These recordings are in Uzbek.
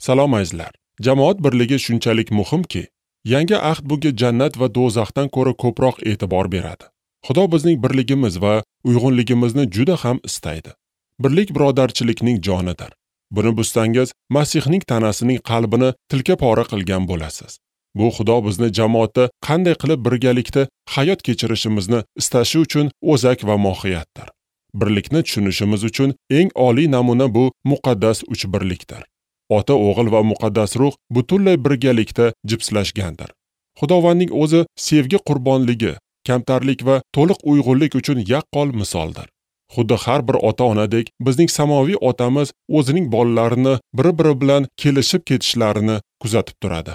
Salom azizlar. Jamoat birligi shunchalik muhimki, yangi ahd bunga jannat va do'zaxdan ko'ra ko'proq e'tibor beradi. Xudo bizning birligimiz va uyg'unligimizni juda ham istaydi. Birlik birodarchilikning jonidir. Buni buzsangiz, Masihning tanasining qalbini tilka pora qilgan bo'lasiz. Bu Xudo bizni jamoatda qanday qilib birgalikda hayot kechirishimizni istashi uchun o'zak va mohiyatdir. Birlikni tushunishimiz uchun eng oliy namuna bu muqaddas uchbirlikdir. Ota, o'g'il va muqaddas ruh butunlay birgalikda jipslashgandir. Xudovandning o'zi sevgi qurbonligi, kamtarlik va to'liq uyg'unlik uchun yaqqol misoldir. Xuddi har bir ota-onadek bizning samoviy otamiz o'zining bolalarini bir-biri bilan kelishib ketishlarini kuzatib turadi.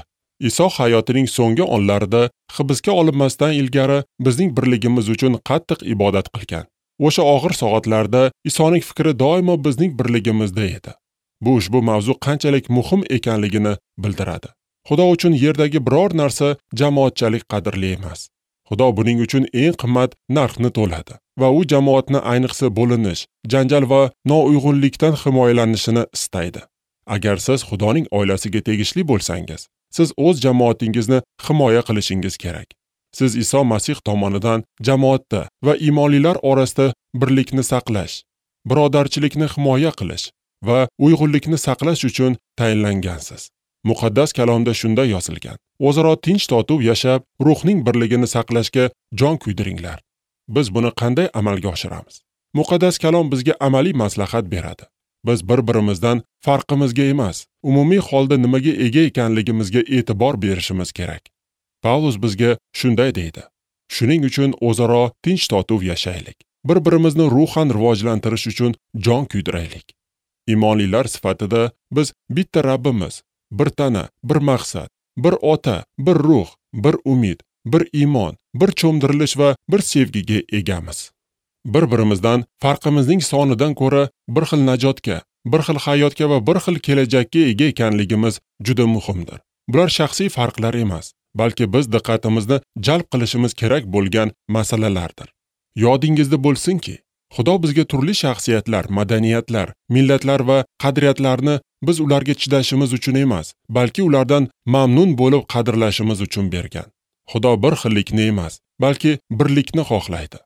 Iso hayotining so'nggi onlarida hibsga olinmasdan ilgari bizning birligimiz uchun qattiq ibodat qilgan. O'sha og'ir soatlarda Isoning fikri doimo bizning birligimizda edi. Bu ushbu mavzu qanchalik muhim ekanligini bildiradi. Xudo uchun yerdagi biror narsa jamoatchalik qadrli emas. Xudo buning uchun eng qimmat narxni to'ladi va u jamoatni ayniqsa bo'linish, janjal va nouyg'unlikdan himoyalanishini istaydi. Agar siz Xudoning oilasiga tegishli bo'lsangiz, siz o'z jamoatingizni himoya qilishingiz kerak. Siz Iso Masih tomonidan jamoatda va iymonlilar orasida birlikni saqlash, birodarchilikni himoya qilish va uyg'unlikni saqlash uchun tayinlangansiz. Muqaddas kalomda shunday yozilgan: O'zaro tinch totuv yashab, ruhning birligini saqlashga jon kuydiringlar. Biz buni qanday amalga oshiramiz? Muqaddas kalom bizga amaliy maslahat beradi. Biz bir-birimizdan farqimizga emas, umumiy holda nimaga ega ekanligimizga e'tibor berishimiz kerak. Pavlus bizga shunday deydi: Shuning uchun o'zaro tinch totuv yashaylik. Bir-birimizni ruhan rivojlantirish uchun jon kuydiraylik. Iymonlilar sifatida biz bitta Rabbimiz, bir tana, bir maqsad, bir ota, bir ruh, bir umid, bir iymon, bir cho'mdirilish va bir sevgiga egamiz. Bir-birimizdan farqimizning sonidan ko'ra bir xil najotga, bir xil hayotga va bir xil kelajakka ega ekanligimiz juda muhimdir. Bular shaxsiy farqlar emas, balki biz diqqatimizni jalb qilishimiz kerak bo'lgan masalalardir. Yodingizda bo'lsinki, Xudo bizga turli shaxsiyatlar, madaniyatlar, millatlar va qadriyatlarni biz ularga chidashimiz uchun emas, balki ulardan mamnun bo'lib qadrlashimiz uchun bergan. Xudo bir xillikni emas, balki birlikni xohlaydi.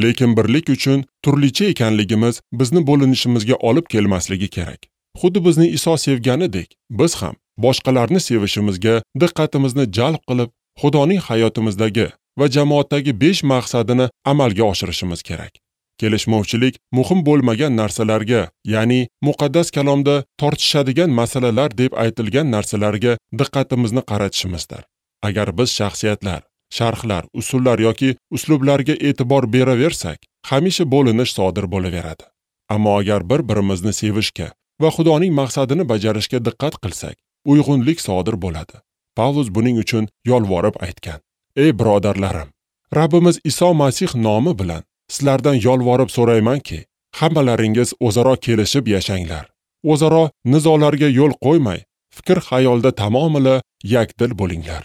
Lekin birlik uchun turlicha ekanligimiz bizni bo'linishimizga olib kelmasligi kerak. Xuddi bizni Iso sevganidek, biz ham boshqalarni sevishimizga diqqatimizni jalb qilib, Xudoning hayotimizdagi va jamoatdagi 5 maqsadini amalga oshirishimiz kerak. Kelishmovchilik muhim bo'lmagan narsalarga, ya'ni muqaddas kalomda tortishadigan masalalar deb aytilgan narsalarga diqqatimizni qaratishimizdir. Agar biz shaxsiyatlar, sharhlar, usullar yoki uslublarga e'tibor beraversak, hamisha bo'linish sodir bo'laveradi. Ammo agar bir-birimizni sevishga va Xudoning maqsadini bajarishga diqqat qilsak, uyg'unlik sodir bo'ladi. Pavlus buning uchun yolvorib aytgan: Ey birodarlarim, Rabbimiz Iso Masih nomi bilan sizlardan yolvorib so'raymanki, hammalaringiz o'zaro kelishib yashanglar. O'zaro nizolarga yo'l qo'ymay, fikr xayolda tamomila yakdil bo'linglar.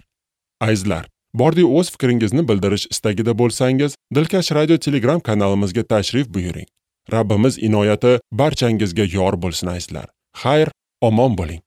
Azizlar, bordi o'z fikringizni bildirish istagida bo'lsangiz, Dilkash Radio Telegram kanalimizga tashrif buyuring. Rabbimiz inoyati barchangizga yor bo'lsin azizlar. Xayr, omon bo'ling.